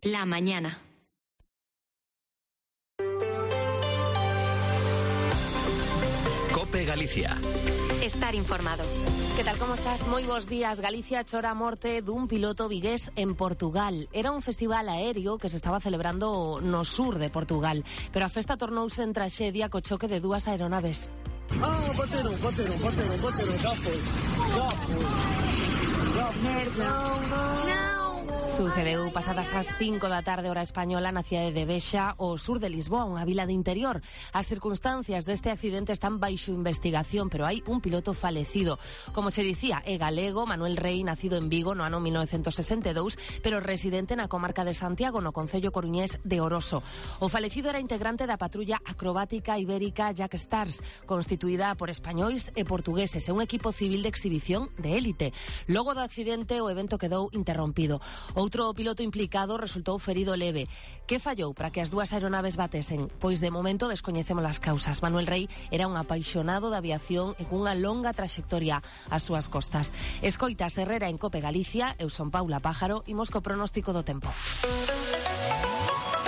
La mañana. COPE Galicia. Estar informado. Que tal, como estás? Moi bons días. Galicia chora a morte dun piloto vigués en Portugal. Era un festival aéreo que se estaba celebrando no sur de Portugal, pero a festa tornouse en traxedia co choque de dúas aeronaves. Bateron, já foi. Sucedeu pasadas as 5 da tarde hora española na cidade de Bexa, ao sur de Lisboa, unha vila de interior. As circunstancias deste accidente están baixo investigación, pero hai un piloto falecido. Como se dicía, é galego, Manuel Rey, nacido en Vigo no ano 1962, pero residente na comarca de Santiago, no concello coruñés de Oroso. O falecido era integrante da patrulla acrobática ibérica Jack Stars, constituída por españois e portugueses, e un equipo civil de exhibición de élite. Logo do accidente, o evento quedou interrompido. Outro piloto implicado resultou ferido leve. Que fallou para que as dúas aeronaves batesen? Pois de momento descoñecemos as causas. Manuel Rey era un apaixonado da aviación e cunha longa traxectoria ás súas costas. Escoitas Herrera en COPE Galicia, eu son Paula Pájaro, imos co pronóstico do tempo.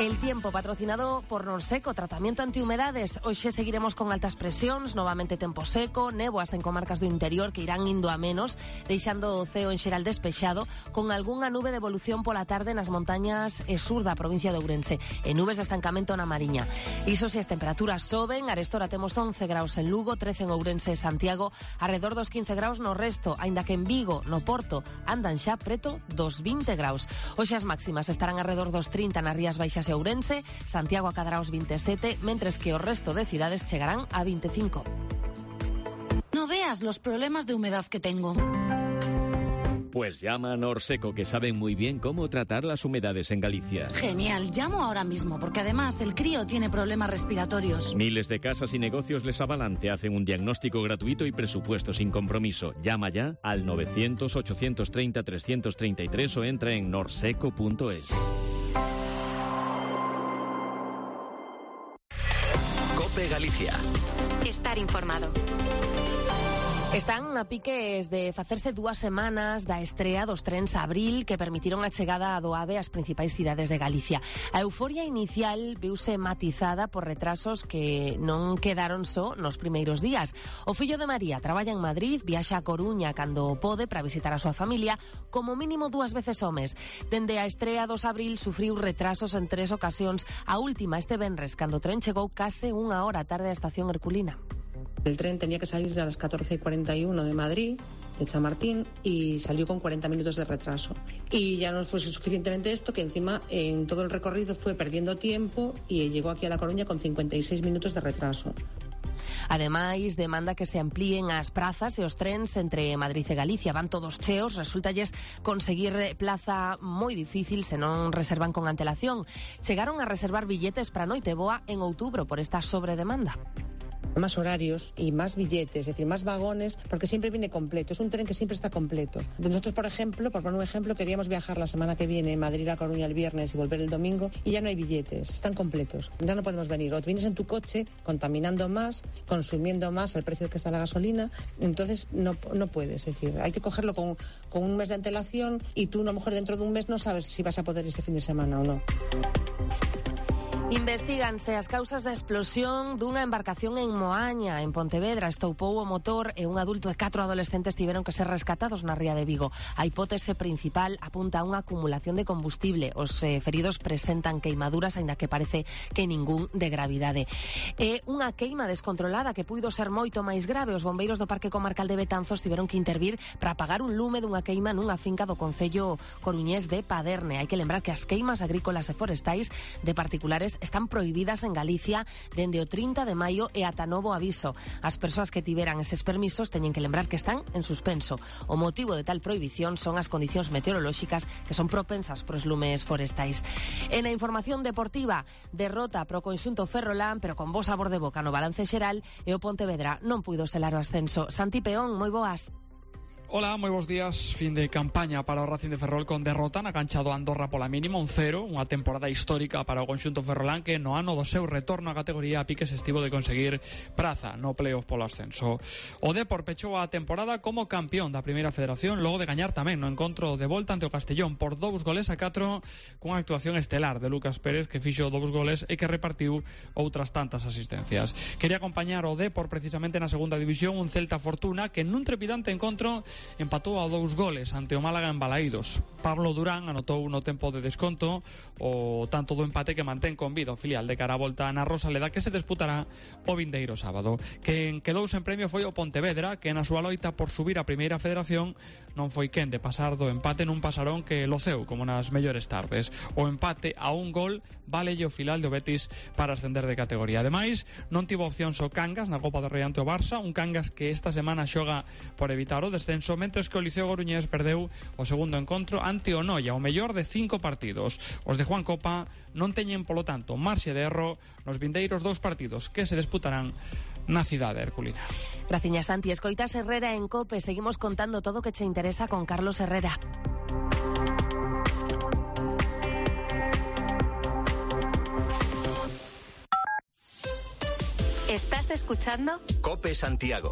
El tiempo, patrocinado por Norseco, tratamiento antihumedades. Hoxe seguiremos con altas presións, novamente tempo seco, néboas en comarcas do interior que irán indo a menos, deixando o ceo en xeral despexado, con algunha nube de evolución pola tarde nas montañas e sur da provincia de Ourense, e nubes de estancamento na Mariña. Iso se as temperaturas soben, arestora temos 11 graus en Lugo, 13 en Ourense e Santiago, arredor dos 15 graus no resto, aínda que en Vigo, no Porto, andan xa preto dos 20 graus. Hoxe as máximas estarán arredor dos 30 nas Rías Baixas e Ourense, Santiago acadará os 27, mentres que o resto de cidades chegarán a 25. No veas los problemas de humedad que tengo. Pues llama a Norseco, que saben muy bien cómo tratar las humedades en Galicia. Genial, llamo ahora mismo, porque además el crío tiene problemas respiratorios. Miles de casas y negocios les avalan, te hacen un diagnóstico gratuito y presupuesto sin compromiso. Llama ya al 900-830-333 o entra en norseco.es. COPE Galicia. Estar informado. Están a piques de facerse 2 semanas da estrea dos trens Abril que permitiron a chegada do AVE ás principais cidades de Galicia. A euforia inicial viuse matizada por retrasos que non quedaron só nos primeiros días. O fillo de María traballa en Madrid, viaxa a Coruña cando pode para visitar a súa familia, como mínimo 2 veces ao mes. Dende a estrea dos Abril sufriu retrasos en 3 ocasións, a última este venres, cando o tren chegou case 1 hora tarde á estación Herculina. El tren tenía que salir a las 14:41 de Madrid, de Chamartín, y salió con 40 minutos de retraso. Y ya no fue suficientemente esto, que encima en todo el recorrido fue perdiendo tiempo y llegó aquí a La Coruña con 56 minutos de retraso. Ademais, demanda que se amplíen as prazas e os trens entre Madrid e Galicia. Van todos cheos, resultalles conseguir plaza moi difícil se non reservan con antelación. Chegaron a reservar billetes para Noiteboa en outubro por esta sobredemanda. Más horarios y más billetes, es decir, más vagones, porque siempre viene completo. Es un tren que siempre está completo. Nosotros, por ejemplo, por poner un ejemplo, queríamos viajar la semana que viene, Madrid a Coruña el viernes y volver el domingo, y ya no hay billetes, están completos. Ya no podemos venir. O te vienes en tu coche, contaminando más, consumiendo más al precio que está la gasolina, entonces no puedes. Es decir, hay que cogerlo con un mes de antelación y tú a lo mejor dentro de un mes no sabes si vas a poder ese fin de semana o no. Investíganse as causas da explosión dunha embarcación en Moaña, en Pontevedra. Estoupou o motor e un adulto e 4 adolescentes tiveron que ser rescatados na ría de Vigo. A hipótese principal apunta a unha acumulación de combustible. Os feridos presentan queimaduras, aínda que parece que ningún de gravidade. É unha queima descontrolada que puido ser moito máis grave. Os bombeiros do Parque Comarcal de Betanzos tiveron que intervir para apagar un lume dunha queima nunha finca do concello coruñés de Paderne. Hai que lembrar que as queimas agrícolas e forestais de particulares están prohibidas en Galicia dende o 30 de maio e ata novo aviso. As persoas que tiveran eses permisos teñen que lembrar que están en suspenso. O motivo de tal prohibición son as condicións meteorolóxicas que son propensas pros lumes forestais. En a información deportiva, derrota pro conxunto ferrolán, pero con bo sabor de boca no balance xeral, e o Pontevedra non puido selar o ascenso. Santi Peón, moi boas. Hola, moi bons días. Fin de campaña para o Racing de Ferrol con derrota na cancha do Andorra pola mínima, 1-0, unha temporada histórica para o conxunto ferrolán que no ano do seu retorno á categoría a piques estivo de conseguir praza no playoff polo ascenso. O Depor pechou a temporada como campeón da Primeira Federación logo de gañar tamén no encontro de volta ante o Castellón por 2-4 cunha actuación estelar de Lucas Pérez que fixo 2 goles e que repartiu outras tantas asistencias. Quería acompañar o Depor precisamente na segunda división un Celta Fortuna que nun trepidante encontro empatou a 2 goles ante o Málaga en Balaídos. Pablo Durán anotou no tempo de desconto o tanto do empate que mantén con vida o filial de cara a volta na Rosaleda que se disputará o vindeiro sábado. Quen quedou sen premio foi o Pontevedra que na súa loita por subir a Primeira Federación non foi quen de pasar do empate nun pasarón que loceu como nas mellores tardes. O empate a 1 gol valelle o filial do Betis para ascender de categoría. Ademais, non tivo opcións o Cangas na Copa do Rei ante o Barça, un Cangas que esta semana xoga por evitar o descenso, mentres que o Liceo Coruñés perdeu o segundo encontro ante o Noia, o mellor de 5 partidos. Os de Juan Copa non teñen, polo tanto, marxe de erro nos vindeiros 2 partidos que se disputarán na cidade herculina. Graciñas, Santi. Escoitas Herrera en COPE. Seguimos contando todo o que che interesa con Carlos Herrera. ¿Estás escuchando? Cope Santiago.